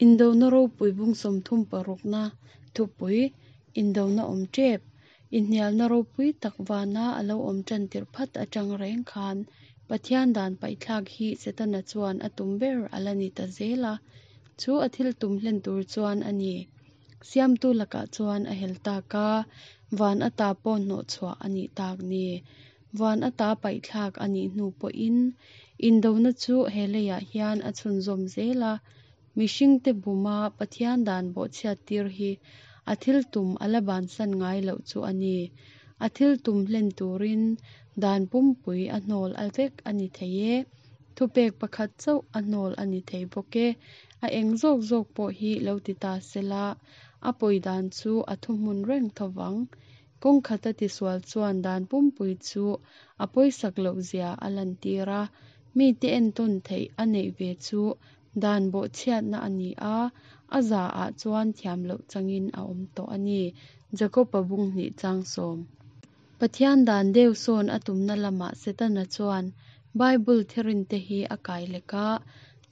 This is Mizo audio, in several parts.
Indona ropui bung 36na thupui, Indona awm tep, inhnialna ropui tak vana a lo awm tan tirh phat atang reng khan Pathian dan paihthlak hi Setana chuan a tum ber a la ni ta zel a, chu a thil tum hlen tur chuan a ni. Siamtu lakah chuan a hel tak a, van ata pawh hnawhchhuah a nih tak ni. Van ata paihthlak a nih hnu pawhin indona chu he leiah hian a chhunzawm zel a, mihringte buma Pathian dan bawhchhiat tir hi a thil tum a la bansan ngai loh chu a ni. A thil tum hlen turin dan pumpui a hnawl a vek a ni thei e, thupek pakhat chauh a hnawl a ni thei bawk e. A eng zawk zawk pawh hi lo ti ta sela, a pawi dan chu a thuhmun reng tho vang. Kawng khata tisual chuan dan pumpui chu a pawisak loh zia a lantir a, mite entawn theih a neih ve chu dan bawhchhiatna a ni a, a za ah chuan thiam loh changin a awm tawh a ni. Jakob-a bung hnih chang sawm. Pathian dan deuh sawn a tumna lamah Setana chuan Bible thirinte hi a kai lek a,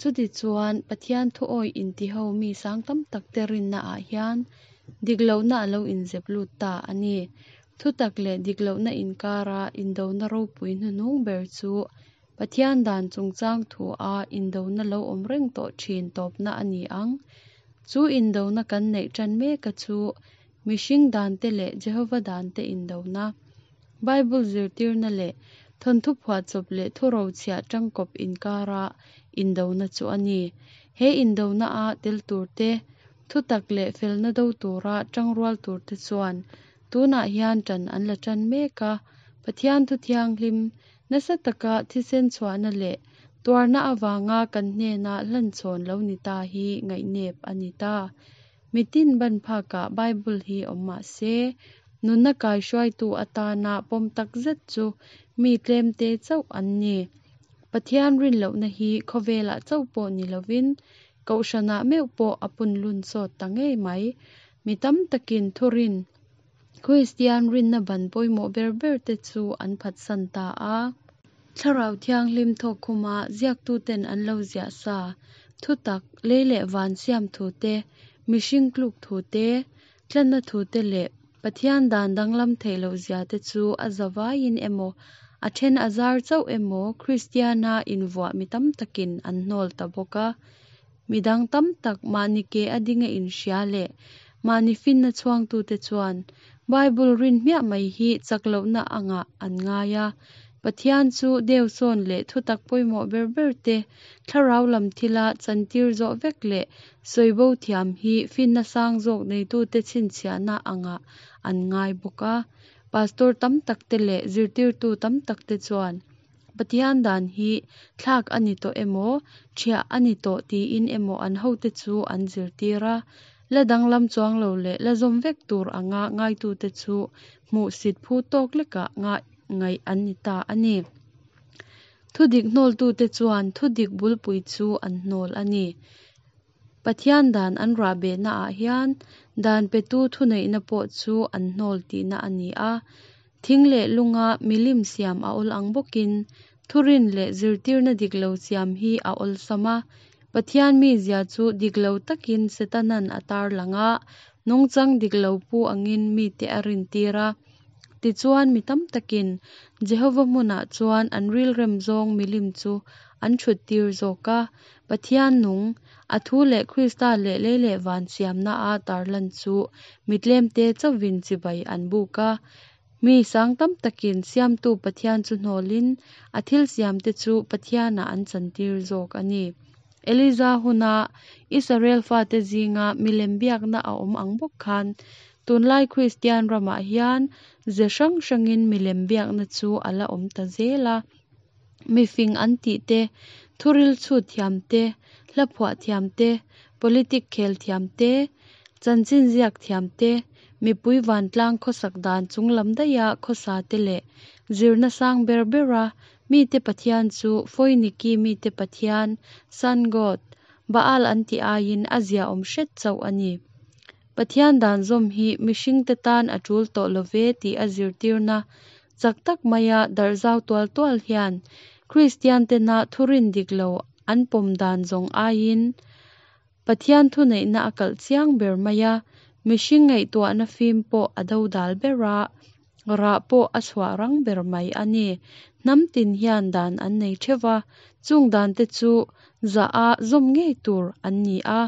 chutichuan Pathian thuawih intiho mi sang tam takte rinnaah hian dik lohna a lo inzep lut ta a ni. Thutak leh dik lohna inkara indona ropui hnuhnung ber chu Pathian dan chungchang thua indona lo awm reng tawh thin tawpna a ni ang. Chu indona kan neih tan meka chu mihring dante leh Jehova dante indona, Bible zirtirna leh thawnthu phuahchawp leh thurochhiah tangkawp inkara indona chu a ni. He indona-a tel turte, thutak leh felna do tura tangrual turte chuan tunah hian tan an la tan mek a, Pathian thu thianghlim nasa taka thisen chhuahna leh tuarna avanga kan hnena hlanchhawn lo ni ta hi ngaihnep a ni ta. Mitin ban phakah Bible hi awm mah se, nunna kaihruaitu atana pawm tak zet chu mi tlemte chauh an ni. Pathian rin lohna hi khawvelah chauh pawh ni lovin Kohhranah meuh pawh a punlun sawt ta ngei mai. Mi tam takin thurin Kristian rinna ban pawimawh ber ber te chu an phatsan ta a. Thlarau Thianghlim thawk khuma ziaktuten an lo ziah sa, thutak, lei leh van siam thu te, mihring tluk thu te, tlanna thu te leh Pathian dan danglam theih loh zia te chu a zavaiin emaw, a then a zar chauh emaw Kristiana invuah mi tam takin an hnawl ta bawk a. Midang tam tak mahni ke a dinga inhria leh mahni finna chhuangtute chuan Bible rin hmiah mai hi chak lohna angah an ngai a. Pathian chu deusawn leh thutak pawimawh ber ber te thlarau lam thila chantir zawh vek leh sawibo thiam hi finna sang zawk neitute chhinchhiahna angah an ngai bawk a. Pastor tam takte leh zirtirtu tam takte chuan Pathian dan hi thlak a ni tawh emaw, thiah a ni tawh tiin emaw an hote chu an zirtir a. La danglam chuang lo leh la zawm vek tur anga ngaitute chu hmuhsit phu tawk lekah ngaih an ni ta a ni. Thudik hnawltute chuan thudik bulpui chu an hnawl a ni. Pathian dan an rahbehnaah hian dan petu thuneihna pawh chu an hnawl tihna a ni a. Thing leh lunga milim siam a awl ang bawkin thurin leh zirtirna dik lo siam hi a awlsam a. Pathian mizia chu dik lo takin Setanan a tarlang a, nungchang dik lo pu angin mite a rintir a. Tichuan mi tam takin Jehova hmunah chuan an rilrem zawng milim chu an thuttir zawk a. Pathian nung, a thu leh Krista leh lei leh van siamna a tarlan chu mi tlemte chauhvin chibai an buk a. Mi sang tam takin Siamtu Pathian chu hnawlin a thil siamte chu Pathianah an chantir zawk a ni. Eliza huna Israel fate zinga milem biakna a awm ang bawk khan tunlai Kristian ramah hian ze hrang hrangin milem biakna chu a la awm ta zel a. Mifing an tih te, thuril chhut thiam te, hla phuah thiam te, politic khel thiam te, chanchin ziak thiam te, mipui vantlang khawsak dan chunglam daiha khawsa te leh zirna sang ber bera mite Pathian chu Foiniki mite Pathian, Sun God, Baal an tih aiin a ziaawm hret chauh a ni. Pathian dan zawm hi mihringte tan a tul tawh lo ve tih a zirtirna Chak tak maia darh zau tual tual hian Kristian tena thurin dik lo an pawm dan zawng aiin Pathian thuneihna a kalh chiang ber mai a, mihring ngaihtuahna fim pawh a dodal ber a, rah pawh a chhuah rang ber mai a ni. Hnam tin hian dan an nei theuh va, chung dante chu zah a zawm ngei tur an ni a,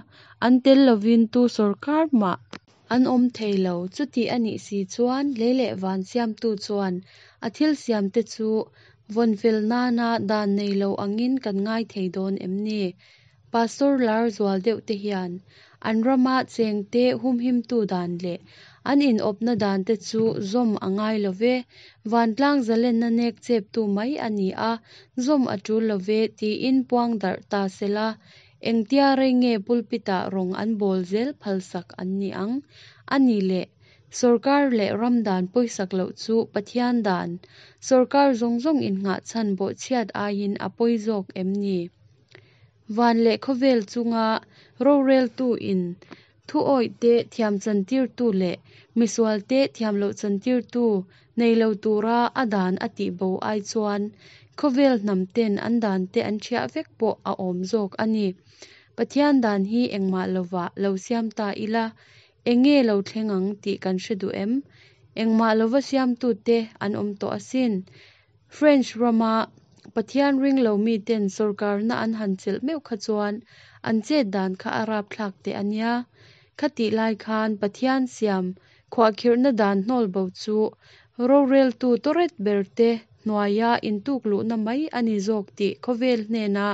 an tel lovin tu sawrkar mah an awm thei lo. Chuti a nih si chuan lei leh van siamtu chuan a thil siamte chu vawn fel nana dan nei lo angin kan ngai thei dawn em ni? Pastor lar zual deuhte hian an rama chengte humhimtu dan leh an inawpna dante chu zawm a ngai lo ve, vantlang zalenna nek cheptu mai a ni a, zawm a tul lo ve tiin puang darh ta sela, engtia rei nge pulpit-ah rawng an bawl zel phalsak an nih ang? A nih leh, sawrkar leh ram dan pawisak loh chu Pathian dan, sawrkar zawng zawng innghahchhan bawhchhiat aiin a pawi zawk em ni? Van leh khawvel chunga roreltu in thu awihte thiam chantirtu leh misualte thiam loh chantirtu nei lo tura a dan a tih bo ai chuan khawvel hnam ten an dante an ṭhiah vek pawh a awm zawk a ni. Pathian dan hi engmah lovah lo siam ta ila, enge lo thleng ang tih kan hre duh em? Engmah lova siamtute an awm tawh asin. French rama Pathian ring lo miten sawrkarna an han chelh meuh kha chuan an chet dan kha a rapthlak teh a nia. Khatih lai khan Pathian siam khuahkhirhna dan hnawl bo chu roreltu tawret berte hnuaia intukluhna mai a ni zawk tih khawvel hnena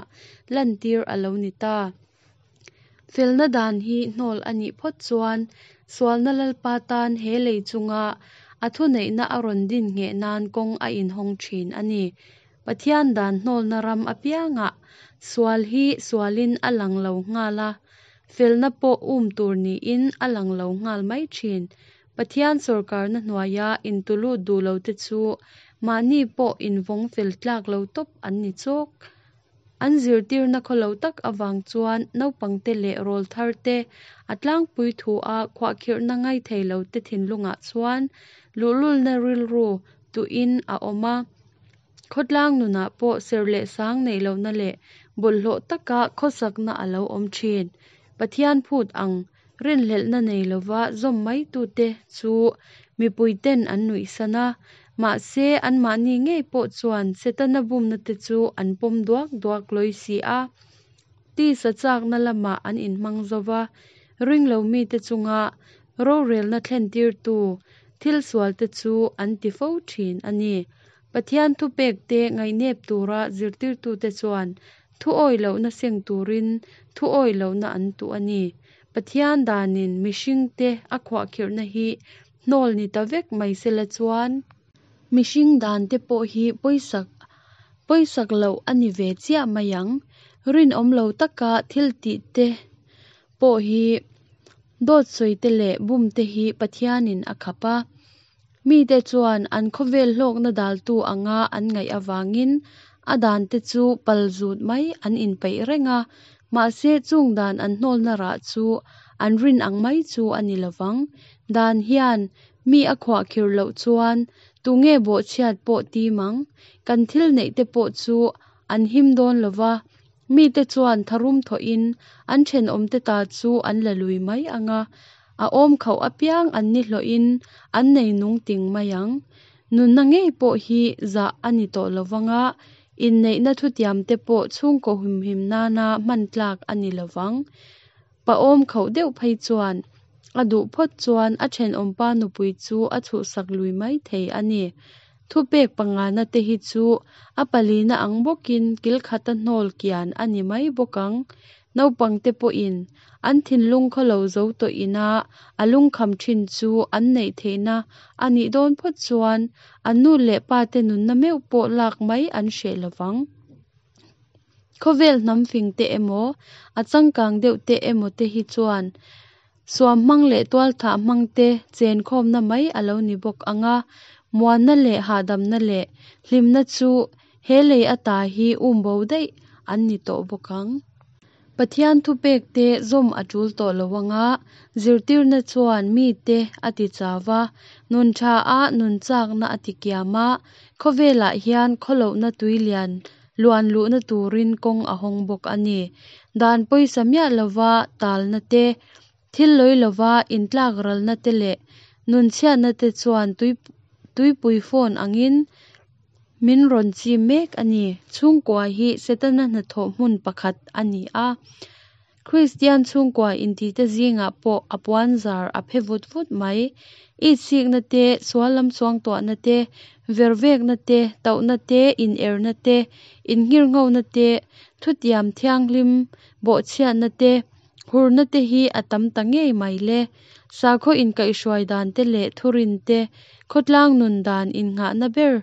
lantir a lo ni ta. Felna dan hi hnawl a nih phawt chuan sualna Lalpa tan he lei chunga a thuneihna a rawn din ngheh nan kawng a inhawng thin a ni. Pathian dan hnawlna ram apiangah sual hi sualin a lang lo nghal a, felna pawh um tur niin a lang lo nghal mai thin. Pathian sawrkarna hnuaia intulut duh lote chu mahni pawh invawng fel tlak lo tawp an ni chawk. An zirtirna khawlo tak avang chuan naupangte leh rawltharte a tlangpui thu a khuahkhirhna ngaithei lote thinlungah chuan luhlulna rilru tuhin a awm a. Khawtlang nunah pawh serh leh sang neih lohna leh bawlhhlawh taka khawsakna a lo awm thin. Pathian phut ang rinhlelhna nei lova zawm maitute chu mipuiten an nuihsan a, mahse anmahni ngei pawh chuan Setana bumnate chu an pawm duak duak lawi si a. Tisa chakna lamah an inhmang zo va, ringlo mite chunga rorelna thlentirtu thil sualte chu an ti fo thin a ni. Pathian thupekte ngaihnep tura zirtirtute chuan thu awih lohna seng turin thu awih lohna an tuh a ni. Pathian danin mihringte a khuahkhirhna hi hnawl ni ta vek mai sela chuan, mihring dante pawh hi pawisak pawisak loh a ni ve chiah mai ang. Rinawm lo taka thil tihte pawh hi dawt sawite leh bumte hi Pathianin a khap a. Mite chuan an khawvel hlawkna daltu anga an ngaih avangin a dante chu pal zut mai an inpeih reng a, mahse chung dan an hnawlna rah chu an rin ang mai chu a ni lovang. Dan hian mi a khuahkhirh loh chuan tunge bawhchhiat pawh tim ang? Kan thil neihte pawh chu an him dawn lova, mite chuan tharum thawhin an thenawmte ta chu an la lui mai ang a, a awm khauh apiang an ni hlawhin an nei nung ting mai ang. Nunna ngei pawh hi zah a ni tawh lovang a, inneihna thutiamte pawh chhungkaw humhim nana hman tlak a ni lovang. Pa awm khauh deuh phei chuan a duh phawt chuan a thenawmpa nupui chu a chhuhsak lui mai thei a ni. Thupek pangana te hi chu a palina ang bawkin kil khata hnawl kian a ni mai bawk ang. Naupangte pawhin an thinlung khawlo zo tawh ina a lungkham thin chu an neih theihna a nih dawn phawt chuan an nu leh pate nunna meuh pawh lak mai an hreh lovang. Khawvel hnam fing te emaw, a changkang deuh te emaw te hi chuan suam hmang leh tualthah hmang te chenkhawmna mai a lo ni bawk ang a, muanna leh hahdamna leh hlimna chu he lei ata hi umbo daih an ni tawh bawk ang. Pathian thupekte zawm a tul tawh lo ang a, zirtirna chuan mite a ti chau va, nun tha a nun chakna a ti kiam a, khawvelah hian khawlohna tui lian luan luhna turin kawng a hawng bawk a ni. Dan pawisa miah lova talna te, thil lawi lova intlakralna te leh nunchhiatna te chuan tuipui fawn angin min rawn chim mek a ni. Chhungkua hi Setana hnathawh hmun pakhat a ni a. Kristian chhungkua intite zingah pawh a puanzar a phe vut vut mai. Itsikna te, sual lam suangtuahna te, vervekna te, tauhna te, inerna te, innghirnghona te, thutiam thianghlim bawhchhiatna te, hurna te hi a tam ta ngei mai le. Sakhaw inkaihhruai dan te leh thurin te, khawtlang nun dan innghahna ber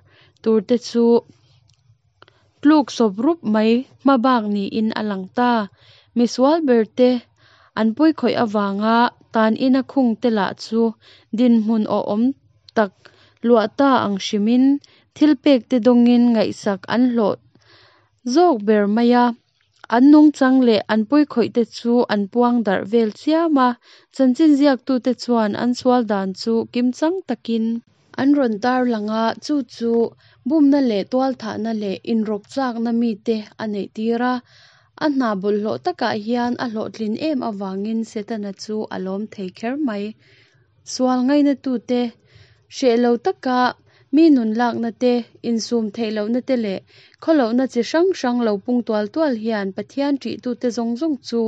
turte chu tluk sawp rup mai hmabak niin a lang ta. Misual berte an pawikhawih avanga tan ina khungte lah chu dinhmun awhawm tak luah ta ang hrimin thilpekte dawngin ngaihsak an hlawh zawk ber mai a. An nungchang leh an pawikhawihte chu an puang darh vel chiam a, chanchin ziaktute chuan an sual dan chu kimchang takin an rawn tarlang a, chu chu bumna leh tualthahna leh inrawk chakna mite a neihtir a. A hna bawlhhlawh takah hian a hlawhtlin em avangin Setana chu a lawm thei kher mai. Sual ngainatute hreh lo taka mi nun lakna te, insum theih lohna te leh khawlohna chi hrang hrang lo pung tual tual hian Pathian ṭihtute zawng zawng chu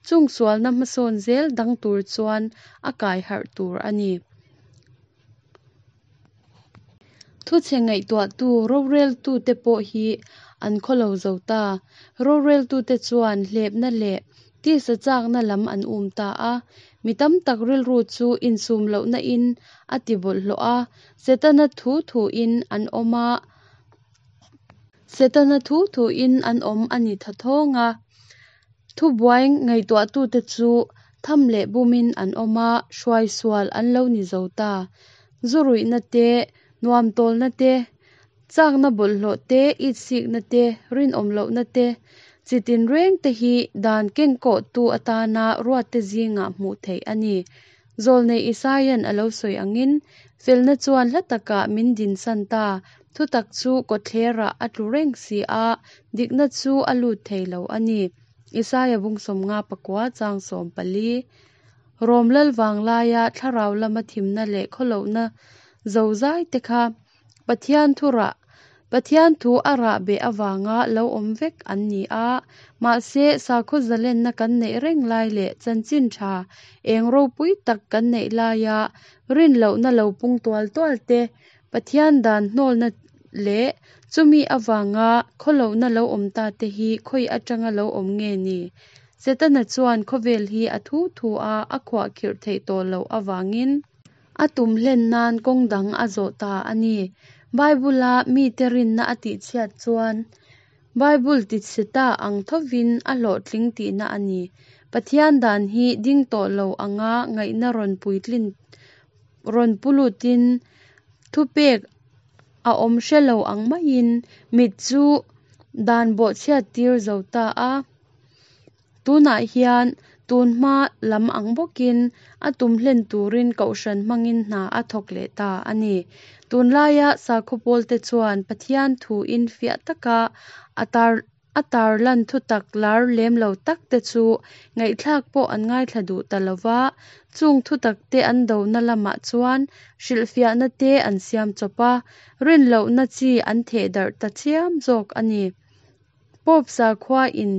chung sualna hmasawn zel dang tur chuan a kai harh tur a ni. Thuchhe ngaihtuahtu roreltute pawh hi an khawlo zo ta. Roreltute chuan hlepna leh tisa chakna lam an um ta a. Mi tam tak rilru chu insum lohna in a ti bawlhhlawh a, Setana thu thuin an awm a, Setana thu thuin an awm a ni thathawng a. Thubuai ngaihtuahtute chu tham leh bumin an awm a, hruai sual an lo ni zo ta. Zu ruihna te, nuam tawlna te, chakna bawlhhlawh te, itsikna te, rinawm lohna te, chi tinreng te hi dan kengkawhtu atana ruatte zingah hmuh theih a ni. Zawlnei Isaia'n a lo sawi angin, Felna chuan hla takah min dinsan ta, thutak chu kawtthlerah a tlu reng si a, dikna chu a lut thei lo a ni. Isaia bung 59 chang 14. Rom lal vanglaia thlarau lama thimna leh khawlohna zozai te kha Pathian thu rah Pathian thu a rah beh avanga lo awm vek an ni a, mahse sakhaw zalenna kan neih reng lai leh chanchin tha eng ropui tak kan neih laia rinlohna lo pung tual tual te, Pathian dan hnawlna leh chumi avanga khawlohna lo awm ta te hi khawi atanga lo awm nge ni? Setana chuan khawvel hi a thu thu a a khuahkhirh theih tawh loh avangin a tum hlen nan kawng dang a zawh ta a ni. Bible-a mite rinna a tihchhiat chuan Bible tichhe ta ang thovin a hlawhtling tihna a ni. Pathian dan hi ding tawh lo anga ngaihna rawn puitlin rawn pu lutin thupek a awm hre lo ang maiin mit chu dan bawhchhiat tir zo ta a. Tunah hian tun hma lam ang bawkin a tum hlen turin kohhran hmangin hna a thawk leh ta a ni. Tunlaia sakhaw pawlte chuan Pathian thuin fiah taka a tar a tarlan thutak lar lem lo tak te chu ngaihthlak pawh an ngaithla duh ta lo va, chung thutak te an dona lamah chuan hrilhfiahna te an siam chawp a, rinlohna chi an thehdarh ta chiam zawk a ni. Pope sakhua in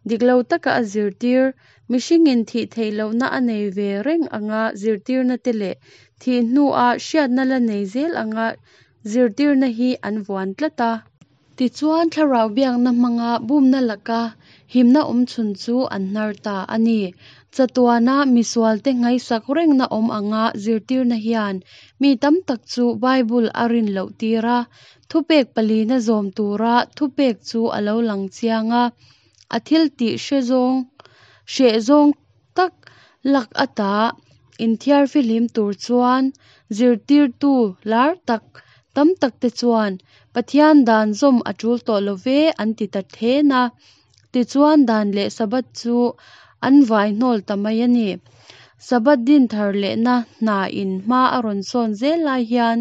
dik lo taka a zirtir, mihringin thih theih lohna a nei ve reng anga zirtirna te leh thih hnua hriatna la nei zel anga zirtirna hi an vuan tlat a. Tichuan thlarau biakna hmanga bumna laka himna awmchhun chu an hnar ta a ni. Chatuana misualte nghaisak rengna awm anga zirtirna hian mi tam tak chu Bible a rin loh tir a, thupek palina zawm tura thupek chu a lo lang chiang a, a thiltih hre zawng hreh zawng tak lak ata inthiar fihlim tur chuan zirtirtu lar tak tam takte chuan Pathian dan zawm a tul tawh lo ve an ti ta then a. Tichuan dan leh Sabbath chu an vai hnawl ta mai a ni. Sabbath din thar lehna hna in hma a rawn sawn zel lai hian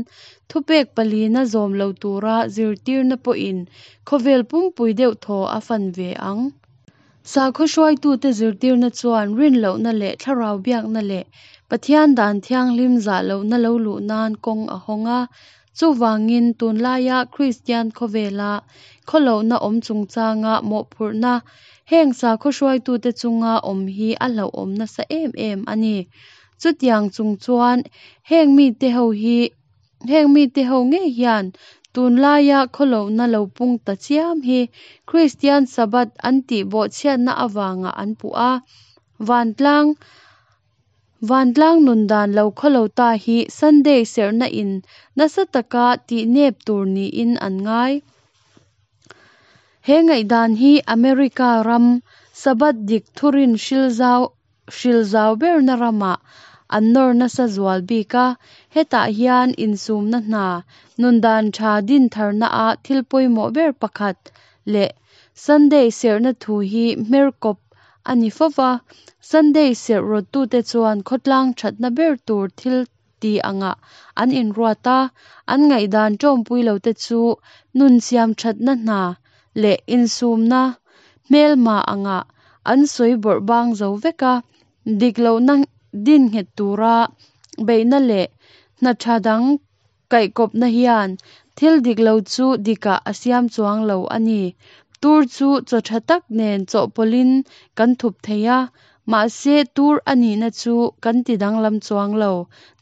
thupek palina zawm lo tura zirtirna pawhin khawvel pumpui deuh thaw a fan ve ang. Sakhaw hruaitute zirtirna chuan rin lohna leh thlarau biakna leh Pathian dan thianghlim zah lohna lo luh nan kawng a hawng a. Chuvangin, tunlaia Kristian khawvela khawlohna awm chungchanga mawhphurhna heng sakhaw hruaitute chunga awm hi a hlauhawm nasa em em a ni. Chutiang chung chuan heng mite ho hi heng mite ho ngei hian tunlaia khawlohna lo pung ta chiam hi Kristian Sabbath an tih bawhchhiatna avangah an puh a. Vantlang Vantlang nun dan lo khawlo ta hi Sunday serhna in nasa taka tih nep tur niin an ngai. He ngaihdan hi America ram Sabbath dik thurin hril zau hril zau berna ramah an nawr nasa zual bik a. Hetah hian insumna hna, nun dan tha din tharna a thil pawimawh ber pakhat leh Sunday serhna thu hi hmer kawp a ni fo va. Sunday serh rawttute chuan khawtlang thatna ber tur thil ti angah an inruat a, an ngaihdan tawmpui lote chu nun siam thatna hna leh insumna hmelma angah an sawi bawrh bang zo vek a. Dik lohna din nghet tura beihna leh hna tha dang kaihkawpna hian thil dik lo chu dikah a siam chuang lo a ni. Tur chu chaw tha tak nen chawhpawlhin kan thup thei a, mahse tur a nihna chu kan ti danglam chuang lo.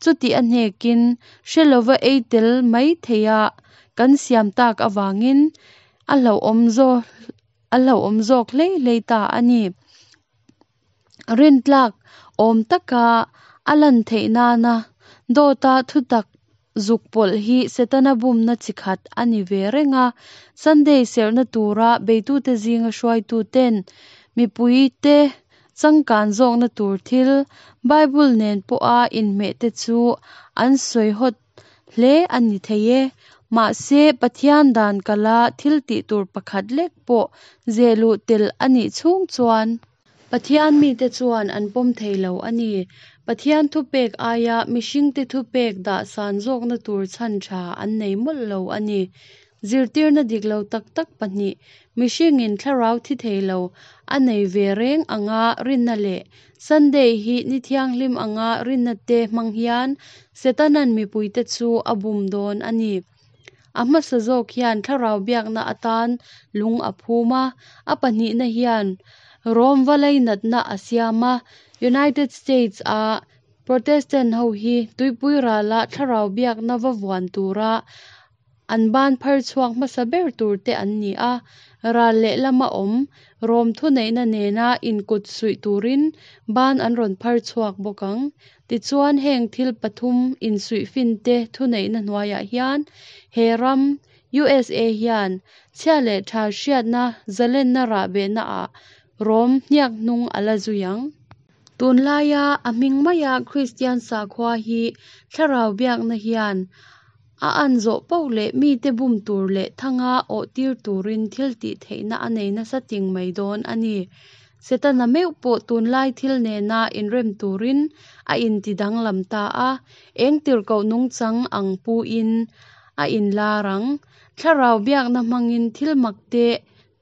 Chuti a hnekin hre lova ei tel mai theiha kan siam tak avangin a hlauhawm a hlauhawm zawk hlei hlei ta a ni. Rintlak awm taka a lan theih nana dawta thutak zuk pawlh hi Setana bumna chi khat a ni ve reng a. Sunday serhna tura beitute zinga hruaituten mipuite changkan zawkna tur thil, Bible nen pawha inhmeh te chu an sawi hawt hle a ni thei e. Mahse, Pathian dan kala thil tih tur pakhat lek pawh zeh luh tel a nih chhung chuan Pathian mite chuan an pawm thei lo a ni. Pathian thupek aia mihringte thupek dah san zawkna tur chhan tha an nei mawlh lo a ni. Zirtirna dik lo tak tak pahnih, mihringin thlarau thi thei lo a nei ve reng anga rinna leh Sunday hi ni thianghlim anga rinna te hmang hian Setanan mipuite chu a bum dawn a ni. A hmasa zawk hian thlarau biakna atan lung a phum a, a pahnihna hian Rom va lainatna a siam a. United States a Protestant ho hi tuipui rala thlarau biakna va vuan tura an ban phar chhuak hmasa ber tur te an ni a. Ral lehlama awm Rom thuneihna nena inkut suih turin ban an rawn phar chhuak bawk ang. Tichuan heng thil pathum insuihfin te thuneihna hnuaiah hian he ram, USA hian chhia leh tha hriatna zalenna rahbehna ah Rom hniak hnung a la zui ang. Tunlaia a hming maia Kristian sakhua hi thlarau biakna hian a an zawh poh leh mite bum tur leh thanga awh tir turin thil tih theihna a nei nasa ting mai dawn a ni. Setana meuh pawh tunlai thil nena inrem turin a inti danglam ta a, eng tirhkoh nungchang ang pu-in a inlar ang. Thlarau biakna hmangin thil mak te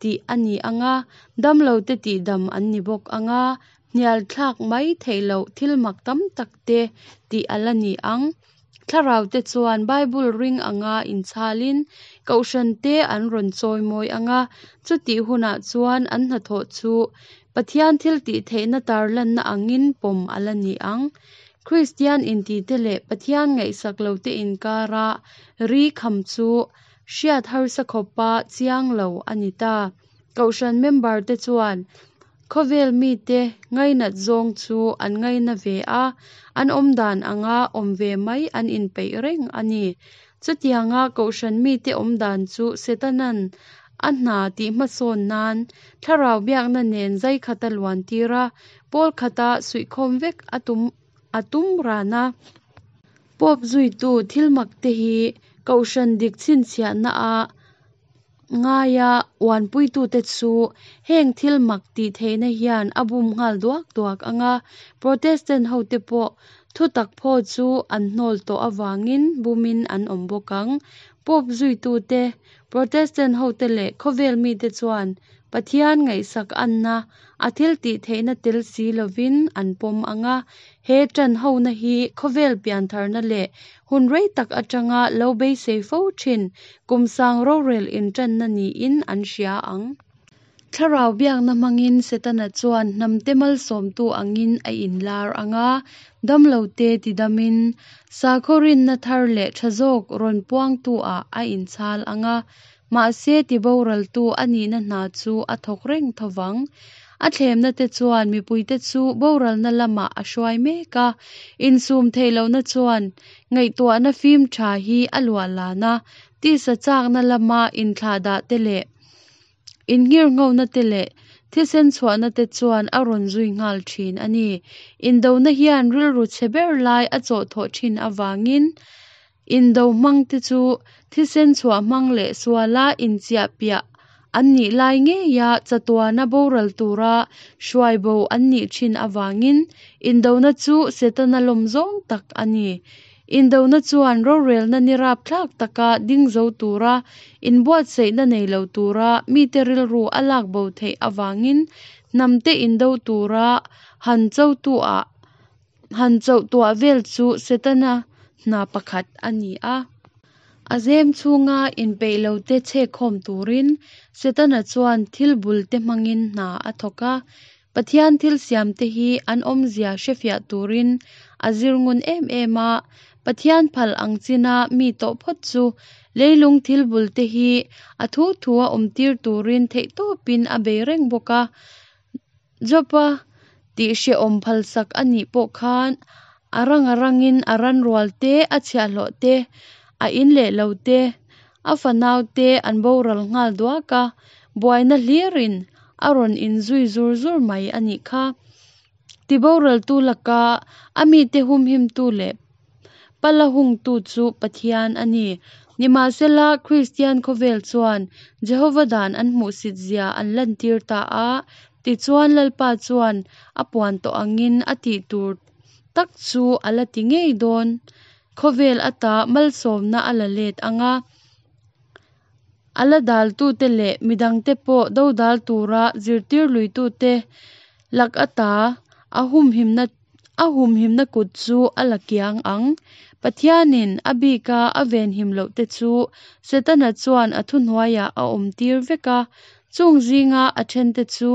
tih a ni ang a, damlote tihdam an ni bawk ang a, hnial thlak mai theih loh thil mak tam tak te tih a la ni ang. Thlarau te chuan Bible ring anga inchhalin kohhran te an rawn chawimawi ang a, chutih hunah chuan an hnathawh chu Pathian thil tih theihna tarlanna angin pawm a la ni ang. Kristian intite leh Pathian ngaihsak lote inkara ri kham chu hriat harsa khawpa chiang lo a ni ta. Kohhran member te chuan khawvel mite ngainat zawng chu an ngaina ve a, an awmdan anga awm ve mai an inpeih reng a ni. Chutianga kohhran mite awmdan chu Setanan a hna tih hmasawn nan thlarau biakna nen zai khata luan tir a, pawl khata suihkhawm vek a tum a tum ran a. Pope zuitu thil mak te hi kohhran dik chhinchhiahna a ngaia uanpuitute chu heng thil mak tih theihna hian a bum nghal duak duak ang a, Protestant hote pawh thutak phaw chu an hnawl tawh avangin bumin an awm bawk ang. Pope zuitute, Protestant hote leh khawvel mite chuan Pathian ngaihsak anna, a thiltihtheihna tel si lovin an pawm ang a. He ṭan hona hi khawvel piantharna leh hun rei tak aṭanga lo beisei fo ṭhin kum sang rorel inṭanna niin an hria ang. Thlarau biakna hmangin Setana chuan hnamte malsawmtu angin a inlar ang a, damlote tidamin, sakhaw rinna thar leh tha zawk rawn puangtu-ah a inchhal ang a, mahse tiboraltu a nihna hna chu a thawk reng tho vang. A thlemnate chuan mipuite chu boralna lamah a hruai mek a, insum theih lohna chuan ngaihtuahna fim tha hi a luahlan a, tisa chakna lama inthlahdahte leh Innghirnghona te leh thisen chhuahna te chuan a rawn zui nghal thin a ni. Indona hian rilru chhe ber lai a chawhthawh thin avangin indo hmang te chu thisen chhuah hmang leh suala inchiahpiah an nih lai ngeia chatuana boral tura hruai bo an nih thin avangin indona chu Setana lawm zawng tak a ni. Indona chuan rorelna ni rapthlak taka ding zo tura inbuatsaihna nei lo tura mite rilru a lak bo theih avangin hnamte indo tura han chotuah han chohtuah vel chu Setana hna pakhat a ni a. A zem chhunga inpeih lote chhekkhawm turin Setana chuan thil bulte hmangin hna a thawk a. Pathian thil siamte hi an awmzia hrefiah turin a zir ngun em em a. Pathian phal ang china mi tawh phawt chu leilung thil bulte hi a thu thua awmtir turin theihtawpin a bei reng bawk a. Job-a tihhrehawm phalsak a nih pawh khan a rang a rangin a ranrual te, a chhiahhlawh te, a in leh lo te, a fanau te an boral nghal duak a, buaina hlirin a rawn inzui zur zur mai a nih kha. Tiboraltu laka a mite humhimtu leh pala hungtu chu Pathian a ni. Nimahsela, Kristian khawvel chuan Jehova dan an hmuhsitzia an lantir ta a, tichuan Lalpa chuan a puan tawh angin a tih tur tak chu a la ti ngei dawn. Khawvel ata malsawmna a la let ang a. A la daltute leh midangte pawh dodal tura zirtir luitute lak ata a humhimna a humhimna kut chu a la kiang ang. Pathianin a bika a venhim lohte chu Setana chuan a thuhnuaiah a awmtir vek a, chung zinga a thente chu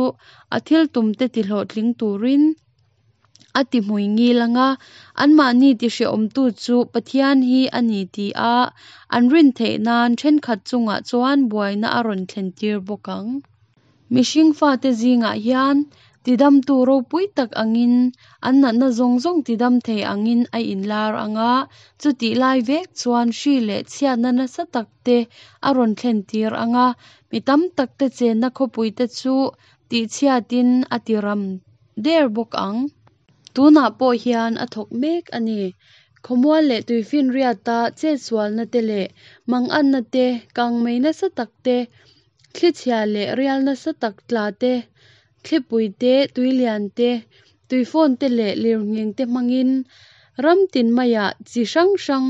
a thil tumte tihlawhtling turin A ti hmui ngil ang a, anmahni tihrehawmtu chu Pathian hi a ni ti a an rin theih nan thenkhat chungah chuan buaina a rawn thlentir bawk ang. Mihring fate zingah hian tidamtu ropui tak angin an natna zawng zawng tidam thei angin a inlar ang a, chutih lai vek chuan hri leh chhiatna nasa tak te a rawn thlentir ang a, mi tam takte chenna khawpuite chu tihchhiatin a tiram der bawk ang. Tunah pawh hian a thawk mek a ni. Khawmual leh tuifinriata chetsualna te leh manganna te, kangmei nasa tak te, thlichhia leh rial nasa tak tla te, thlipui te, tuilian te, tuifawn te leh lirnghing te hmangin ram tin maiah chi hrang hrang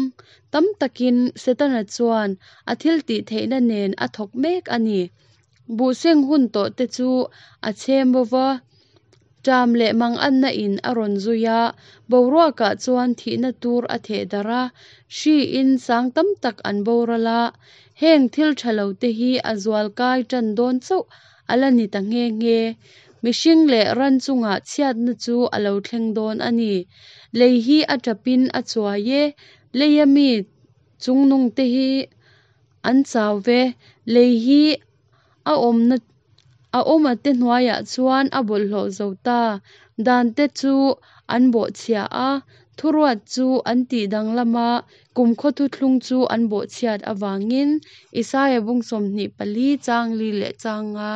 tam takin Setana chuan a thiltihtheihna nen a thawk mek a ni. Buhseng hun tawh te chu a chhem bo va, ṭam leh manganna in a rawn zui a, boruakah chuan thihna tur a theh darh a, hri in sang tam tak an boral a, heng thil tha lo te hi a zual kai ṭan dawn chauh a la ni ta nghe nghe. Mihring leh ran chungah chhiatna chu a lo thleng dawn a ni. Lei hi a ṭapin a chuai e, leia mi chungnung te hi An chau ve, lei hi a awmna a awma te hnuaiah chuan a bawlhhlawh zo ta. Dan te chu an bawhchhia a, thuruat chu an tih danglam a, kumkhaw thuthlung chu an bawhchhiat avangin Isaia bung 24 chang li leh chang nga.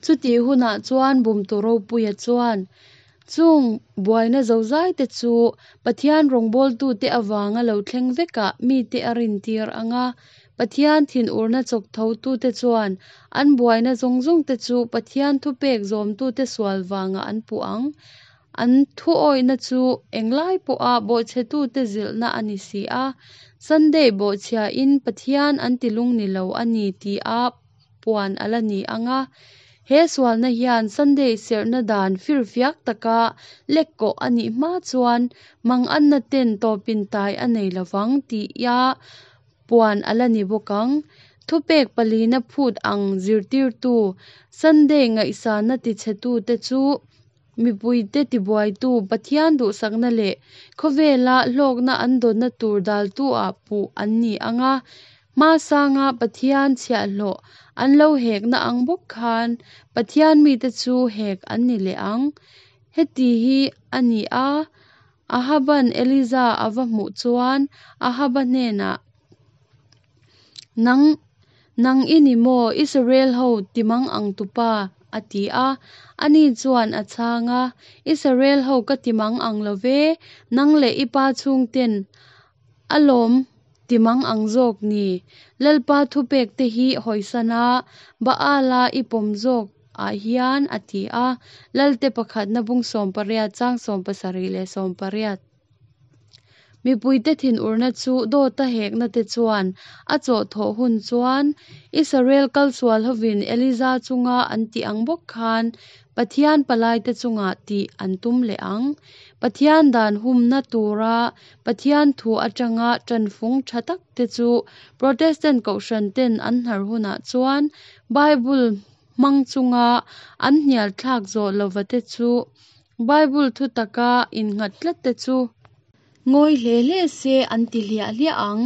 Chutih hunah chuan Bumtu Ropuia chuan chung buaina zozaite chu Pathian rawngbawltute avanga lo thleng vekah mite a rintir ang a. Pathian thinurna chawk thotute chuan an buaina zawng zawngte chu Pathian thupek zawmtute sual vangah an puh ang. An thuawihna chu englai pawha bawhchhetute zilhna a ni si a. Sunday bawhchhiain Pathian an tilung ni lo a ni tia puan a la ni ang a. He sualna hian Sunday serhna dan firfiak taka lekkawh a nih hma chuan manganna ten tawpin tai a nei lovang tia puan a la ni bawk ang. Thupek palina phut ang zirtirtu, Sunday ngaihsana tichhetute chu mipuite tibuaitu, Pathian duhsakna leh khawvela hlawkna an dawnna tur daltu-ah puh an ni ang a. Hmasanga Pathian chhiahhlawh an lo hekna ang bawk khan Pathian mite chu hek an ni leh ang. Heti hi a ni a, Ahaban Eliza a va hmuh chuan Ahaba hnenah, Nang, nang i ni maw, Israel ho timang ang tupa? a ti a. Ani chuan a chhang a, Israel ho ka timang ang lo ve, nang leh i pa chhungten a lawm timang ang zawk ni. Lalpa thupek te hi hawisan a, Baala i pawm zawk ah hian a ti a. Lalte pakhatna bung 18 chang 17 leh 18. Mipuite thinurna chu dawta hekna te chuan a chawhthawh hun chuan Israel kalsual hovin Eliza chunga an tih ang bawk khan Pathian palaite chungah tih an tum leh ang. Pathian dan humna tura Pathian thu atanga tanfung tha tak te chu Protestant kohhran ten an hnar hunah chuan Bible hmang chunga an hnial thlak zawh lova te chu Bible thu taka innghat tlat te chu ngawi hle hle se an ti hliah hliah ang.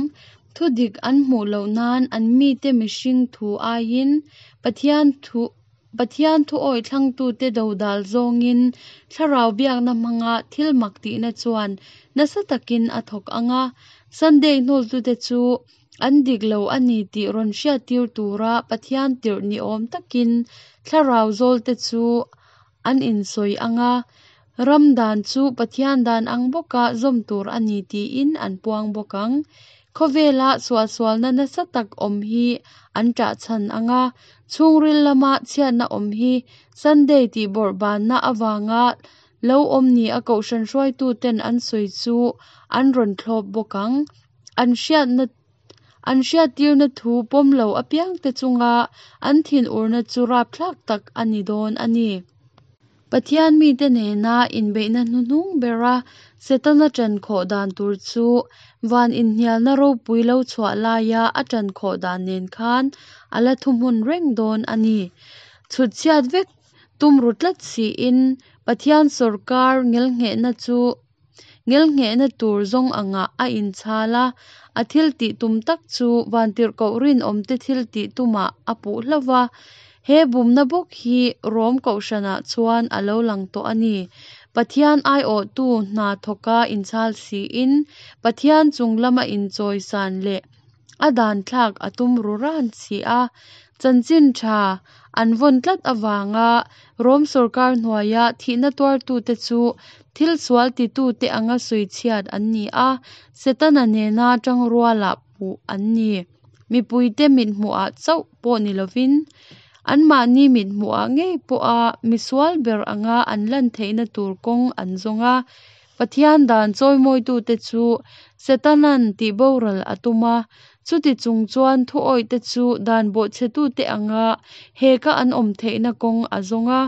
Thu dik an hmuh loh nan an mite mihring thu aiin Pathian thu Pathian thu awih thlangtute dodal zawngin thlarau biakna hmanga thil mak tihna chuan nasa takin a thawk ang a. Sunday hnawltute chu an dik lo a ni tih rawn hriattir tura Pathian tirh ni awm takin thlarau zawlte chu an insawi ang a, ram dan chu Pathian dan ang bawka zawm tur a ni tiin an puang bawk ang. Khawvela suahsualna nasa tak awm hi an ṭahchhan ang a, chhungril lama chhiatna awm hi Sunday tihbawrhbanna avanga lo awm ni a kohhran hruaituten an sawi chu an rawn thlawp bawk ang. An hriatna An hriattirna thu pawm lo apiangte chunga an thinurna chu rapthlak tak a ni dawn a ni. Pathian mite nena inbeihna hnuhnung bera Setana ṭan khawh dan tur chu van inhnialna ropui lo chhuah laia a ṭan khawh dan nen khan a la thuhmun reng dawn a ni. Chhut chhiat vek tum ru tlat siin Pathian sawrkar ngelnghehna chu Ngelnghehna tur zawng angah a inchhal a, a thil tih tum tak chu vantirhkoh rinawmte thil tih tumah a puh hlauh va. He bumna bawk hi Rom kohhranah chuan a lo lang tawh a ni. Pathian aiawhtu hna thawka inchhal siin Pathian chung lama inchawisan leh a dan thlak a tum ru ran si a. Chanchin tha an vawn tlat avanga Rom sawrkar hnuaia thihna tuartute chu thil sual titute anga sawichhiat an ni a, Setana nena tangruala puh an ni. Mipuite mithmuhah chauh pawh ni lovin, anmahni mithmuhah ngei pawha misual ber anga an lan theihna tur kawng an zawng a. Pathian dan chawimawitute chu Setana'n tihboral a tum a, chuti chung chuan thuawihte chu dan bawhchhetute anga heka an awm theihna kawng a zawng a.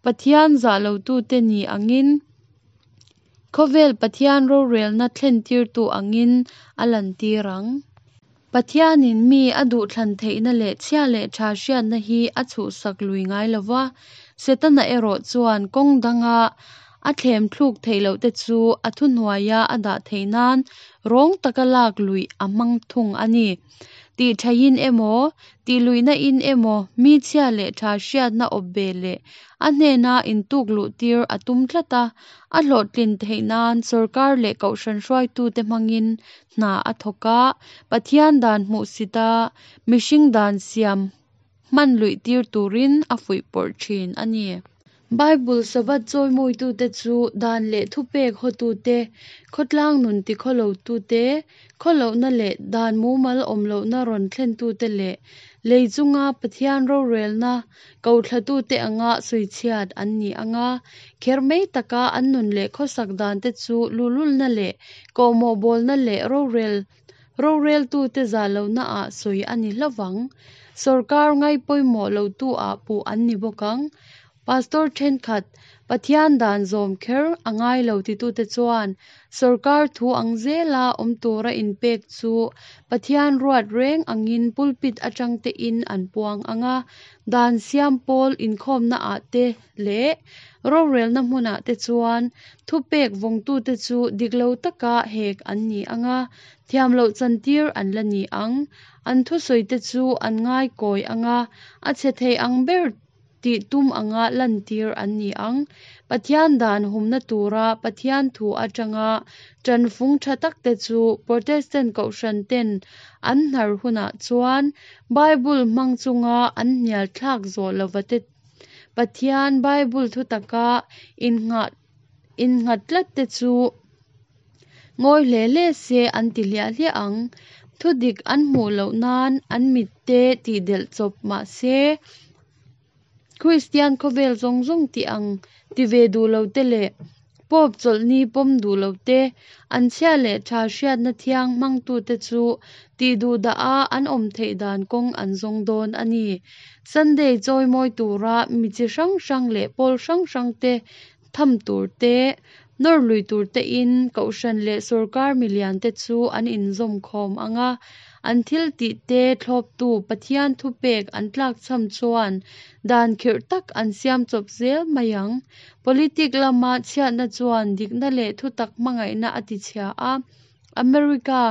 Pathian zah lotute ni angin, khawvel Pathian rorelna thlentirtu angin a lantir ang. Pathianin mi a duhthlan theihna leh chhia leh tha hriatna hi a chhuhsak lui ngai lo va, Setana erawh chuan kawng danga a thlem thluk theih loh te chu a thuhnuaia a dah theih nan rawng taka lak luih a hmang thung a ni. Tih thaiin emaw, tih luihna in emaw mi chhia leh tha hriatna awp ve leh a hnena intuk luh tir a tum tlat a, a hlawhtlin theih nan sawrkar leh kohhran hruaitute hmangin hna a thawk a, Pathian dan hmuhsit a, mihring dan siam hman luih tir turin a fuihpawrh thin a ni. Bible Sabbath chawimawitute chu dan leh thupek hawtute, khawtlang nun tikhawlotute, khawlohna leh dan mumal awm lohna rawn thlentute leh lei chunga Pathian rorelna Kohthlatute anga sawichhiat an ni ang a, kher mai taka an nun leh khawsak dante chu luhlulna leh kawhmawh bawlna leh rorel roreltute zah lohnaah sawi a ni hlauh vang. Sawrkar ngai pawimawh lotu ah puh an ni bawk ang. Pastor thenkhat, Pathian dan zawm kher a ngai lo titute chuan sawrkar thu ang zela awm tura inpek chu Pathian ruat reng angin pulpit atang tein an puang ang a, dan siam pawl inkhawmnaah te leh rorelna hmunah te chuan thupek vawngtute chu dik lo taka hek an ni ang a, thiam loh chantir an la ni ang. An thusawite chu an ngai kawi ang a, a chhe thei ang ber tih tum anga lantir an ni ang. Pathian dan humna tura Pathian thu atanga tanfung tha takte chu Protestant kohhran ten an hnar hunah chuan Bible hmang chunga an hnial thlak zawh lovate Pathian Bible thutaka innghat innghat tlatte chu ngawi hle hle se an ti hliah hliah ang. Thudik an hmuh loh nan an mitte tihdelh chawp mah se, Kristian khawvel zawng zawng tih ang ti ve duh lo te leh Pope chawlhni pawm duh lo te, an chhia leh tha hriatna thiang hmangtute chu tih duh dah a an awm theih dan kawng an zawng dawn a ni. Sunday chawimawi tura mi chi hrang hrang leh pawl hrang hrang te tham tur te, nawr lui tur tein kohhran leh sawrkar milian te chu an inzawm khawm ang a, an thil tih te thlawptu Pathian thupek an tlakchham chuan dan khirh tak an siam chawp zel mai ang. Politic lama chhiatna chuan dikna leh thutak hmangaihna a tichhia a, America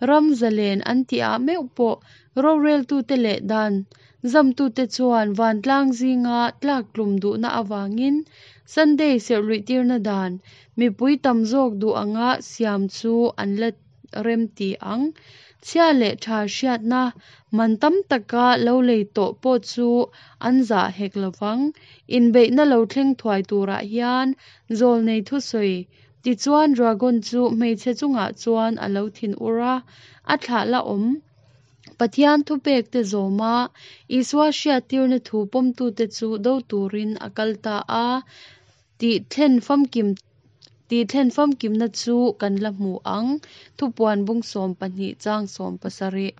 ram zalen an tihah meuh pawh roreltute leh dan zamtute chuan vantlang zinga tlaktlum duhna avangin Sunday serhluihtirna dan mipui tam zawk duh anga siam chu an la remti ang. Chhia leh tha hriatna man tam taka lo lei tawh pawh chu an zah hek lovang. Inbeihna lo thleng thuai turah hian zawlnei thusawi Tichuan dragon chu hmeichhe chungah chuan a lo thin ur a, a thlah la awm. Pathian thupekte zawma Isua hriattirna thu pawmtute chu do turin a kal ta a, tih thlen famkim tih thlen famkimna chu kan la hmu ang, Thupuan bung 12 chang 17.